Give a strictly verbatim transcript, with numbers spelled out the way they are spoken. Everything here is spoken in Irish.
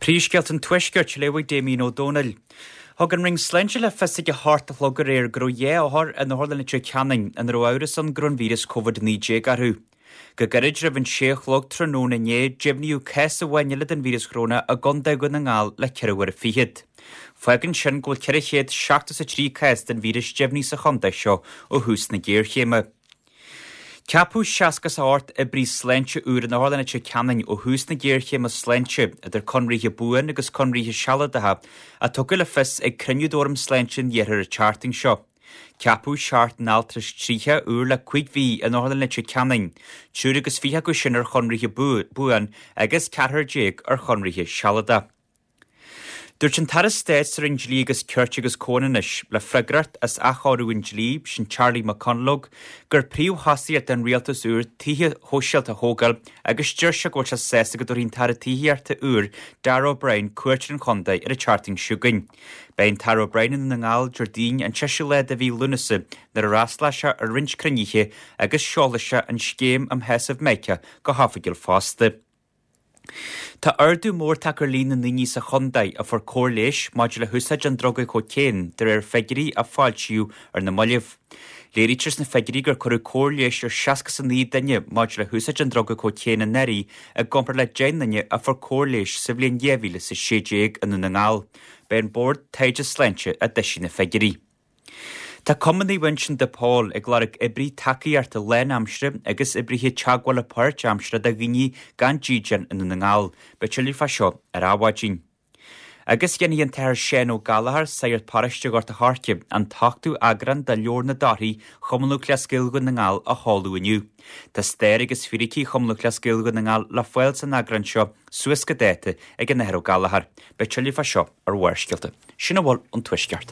Príomhscéalta an Tuaiscirt, léifidh Damien Ó Dónaill. Thug an Roinn Sláinte le fios ag a hocht a chlog aréir go raibh dhá othar in Otharlann Leitir Ceanainn ina raibh amhras ann go raibh an víreas Covid naoi déag orthu. Go gairid roimh an sé a chlog tráthnóna inné, deimhníodh cás amháin eile den víreas choróna i gContae Dhún na nGall le ceithre huaire fichead. Fágann sin go bhfuil ceithre chéad seachtó is a trí cás den víreas deimhnithe sa chontae seo ó thús na géarchéime. Ceapadh seasca is a hocht oibrí sláinte úr in Otharlann Leitir Ceanainn ó thús na géarchéime sláinte, idir conraithe buan agus conraithe sealadacha, a tugadh le fios ag cruinniú d'Fhóram Sláinte an Iarthair an tseachtain seo. Ceapadh seacht n-altrais tríocha úr le cúig mhí in Otharlann Leitir Ceanainn, triúr agus fiche acu sin ar chonraithe buan agus ceathrar déag ar chonraithe sealadacha. Dúirt an tAire Stáit sa Roinn Dlí agus Cirt agus Comhionannais, le freagracht as athchóiriú an dlí, sin Charlie McConalogue, gur príomhthosaíocht don rialtas úr tithe shóisialta a thógáil agus deir sé go bhfuil sé sásta go dtabharfaidh an tAire Tithíochta úr, Darragh O'Brien, cuairt ar an chontae ar an tseachtain seo chugainn. Beidh an tAire O'Brien i nDún na nGall Déardaoin an seisiú lá de mhí Lúnasa nuair a fhreastalóidh sé ar roinnt cruinnithe agus seolfaidh sé an scéim um Shásamh Meicneach go hoifigiúil fosta. Tá ardú mór tagtha ar líon na ndaoine sa chontae a fuair cóir leighis maidir le húsáid an druga cócaon de réir figiúirí a foilsíodh ar na mallaibh. Léirítear sna figiúirí gur cuireadh cóir leighis ar seasca is a naoi duine maidir le húsáid an druga cócaon anuraidh i gcomparáid le deich nduine a fuair cóir leighis sa bhliain dhá mhíle is a sé déag i nDún na nGall. B'é an Bord Taighde Sláinte a d'eisigh na figiúirí. Tá Cumann Naomh Uinseann de Pól ag lorg oibrí tacaíochta lánaimseartha agus oibrithe teagmhála páirtaimseartha do dhaoine gan dídean i nDún na nGall. Beidh tuilleadh fá seo ar Adhmhaidin. Agus déanfaidh an tAthair Seán Ó Gallchóir, sagart paróiste Ghort a' Choirce, an t-ochtú eagrán de Leabhar na dTorthaí Chumann Lúthchleas Gael Dhún na nGall a sheoladh inniu. Tá stair agus fíricí Chumann Lúthchleas Gael Dhún na nGall le fáil san eagrán seo suas go dáta ag an Athair Ó Gallchóir. Beidh tuilleadh fá seo ar Bharrscéalta. Sin a bhfuil ón Tuaisceart.